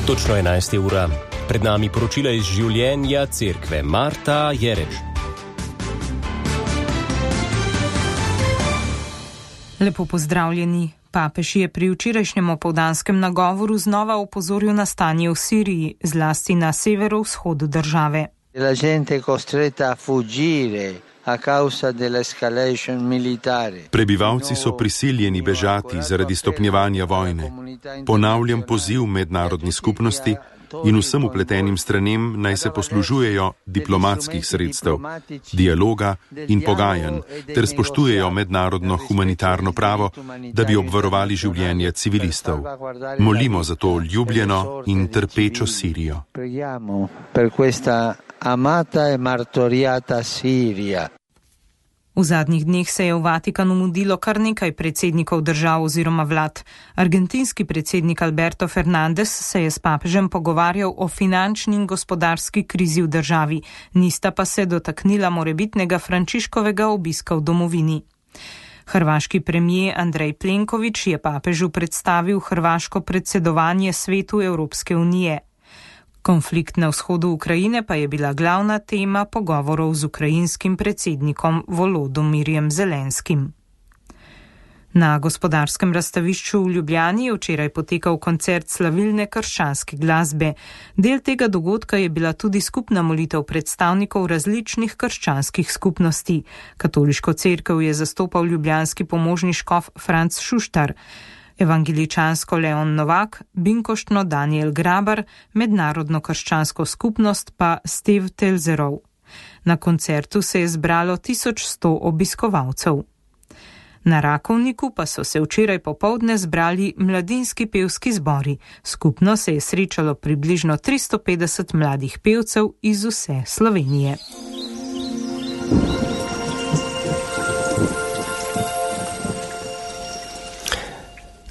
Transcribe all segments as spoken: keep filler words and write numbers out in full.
Točno enajsta ura. Pred nami poročila iz življenja cerkve. Marta Jerež. Lepo pozdravljeni. Papež je pri včerajšnjem opoldanskem nagovoru znova opozoril na stanje v Siriji, zlasti na severovzhodu države. La gente costretta a fuggire a causa dell'escalation militare. Prebivalci so prisiljeni bežati zaradi stopnjevanja vojne. Ponavljam poziv mednarodni skupnosti in vsem upletenim stranem naj se poslužujejo diplomatskih sredstev, dialoga in pogajanj ter spoštujejo mednarodno humanitarno pravo, da bi obvarovali življenje civilistov. Molimo za to ljubljeno in trpečo Sirijo. Preghiamo per questa amata e martoriata Sirija. V zadnjih dneh se je v Vatikanu mudilo kar nekaj predsednikov držav oziroma vlad. Argentinski predsednik Alberto Fernández se je s papežem pogovarjal o finančni in gospodarski krizi v državi, nista pa se dotaknila morebitnega Frančiškovega obiska v domovini. Hrvaški premijer Andrej Plenković je papežu predstavil hrvaško predsedovanje svetu Evropske unije. Konflikt na vzhodu Ukrajine pa je bila glavna tema pogovorov z ukrajinskim predsednikom Volodomirjem Zelenskim. Na gospodarskem razstavišču v Ljubljani je včeraj potekal koncert slavilne krščanske glasbe. Del tega dogodka je bila tudi skupna molitev predstavnikov različnih krščanskih skupnosti. Katoliško cerkev je zastopal ljubljanski pomožni škof Franc Šuštar, evangeličansko Leon Novak, binkoštno Daniel Grabar, mednarodno krščansko skupnost pa Steve Telzerov. Na koncertu se je zbralo tisoč sto obiskovalcev. Na Rakovniku pa so se včeraj popoldne zbrali mladinski pevski zbori. Skupno se je srečalo približno tristo petdeset mladih pevcev iz vse Slovenije.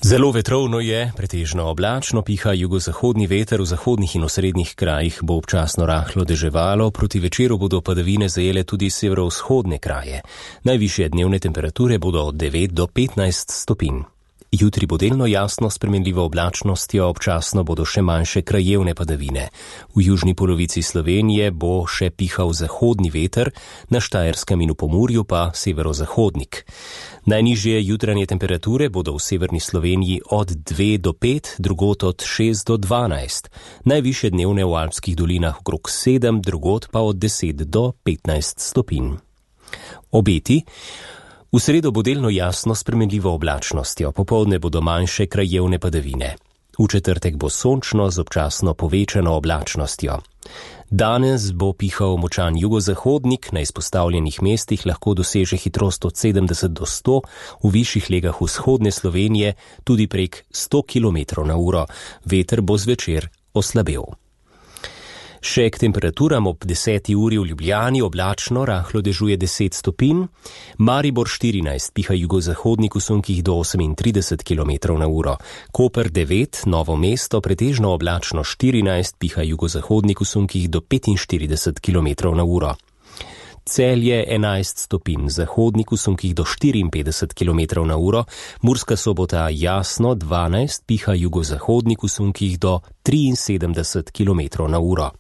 Zelo vetrovno je, pretežno oblačno, piha jugozahodni veter, v zahodnih in osrednjih krajih bo občasno rahlo deževalo, proti večeru bodo padavine zajele tudi severovzhodne kraje. Najvišje dnevne temperature bodo od devet do petnajst stopinj. Jutri bo delno jasno s spremenljivo oblačnostjo, občasno bodo še manjše krajevne padavine. V južni polovici Slovenije bo še pihal zahodni veter, na Štajerskem in v Pomurju pa severozahodnik. Najnižje jutranje temperature bodo v severni Sloveniji od dve do pet, drugot od šest do dvanajst. Najvišje dnevne v alpskih dolinah okrog sedem, drugot pa od deset do petnajst stopinj. Obeti. V sredo bo delno jasno s spremenljivo oblačnostjo, popoldne bodo manjše krajevne padavine. V četrtek bo sončno z občasno povečano oblačnostjo. Danes bo pihal močan jugozahodnik, na izpostavljenih mestih lahko doseže hitrost od sedemdeset do sto, v višjih legah vzhodne Slovenije tudi prek sto kilometrov na uro. Veter bo zvečer oslabel. Še k temperaturam ob deseti uri v Ljubljani oblačno, rahlo dežuje deset stopinj, Maribor štirinajst, piha jugozahodnik v sunkih do osemintrideset kilometrov na uro, Koper devet, Novo mesto pretežno oblačno štirinajst, piha jugozahodnik v sunkih do petinštirideset kilometrov na uro. Celje enajst stopinj, zahodnik v sunkih do štiriinpetdeset kilometrov na uro, Murska Sobota jasno dvanajst, piha jugozahodnik v sunkih do triinsedemdeset kilometrov na uro.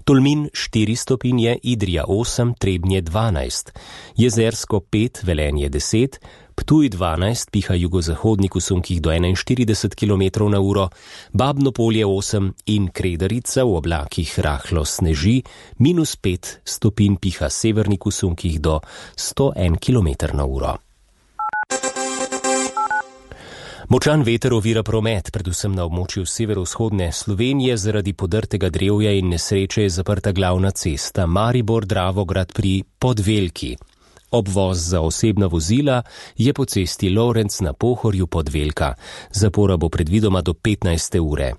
Tolmin štiri stopinje, Idrija osem, Trebnje dvanajst, Jezersko pet, Velenje deset, Ptuj dvanajst, piha jugozahodnik v sunkih do enainštirideset kilometrov na uro, Babno Polje osem in Kredarica v oblakih rahlo sneži, minus pet stopinj, piha severnik v sunkih do sto en kilometer na uro. Močan veter ovira promet, predvsem na območju severovzhodne Slovenije, zaradi podrtega drevja in nesreče je zaprta glavna cesta Maribor-Dravograd pri Podvelki. Obvoz za osebna vozila je po cesti Lovrenc na Pohorju Podvelka. Zapora bo predvidoma do petnajste ure.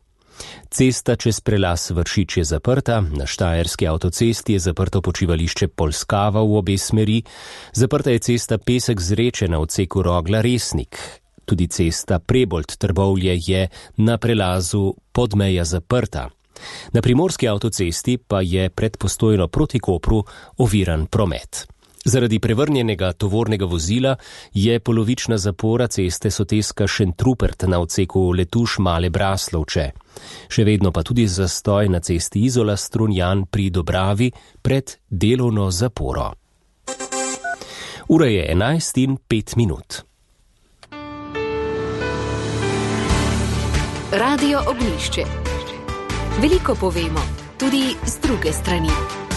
Cesta čez prelaz Vršič je zaprta, na Štajerski avtocesti je zaprto počivališče Polskava v obe smeri, zaprta je cesta Pesek Zreče na odseku Rogla-Resnik. Tudi cesta Prebold-Trbovlje je na prelazu Podmeja zaprta. Na primorski avtocesti pa je pred Postojno proti Kopru oviran promet. Zaradi prevrnjenega tovornega vozila je polovična zapora ceste Soteska Šentrupert na odseku Letuš Male Braslovče. Še vedno pa tudi zastoj na cesti Izola Strunjan pri Dobravi pred delovno zaporo. Ura je enajst in pet minut. Radio Ognjišče. Veliko povemo, tudi z druge strani.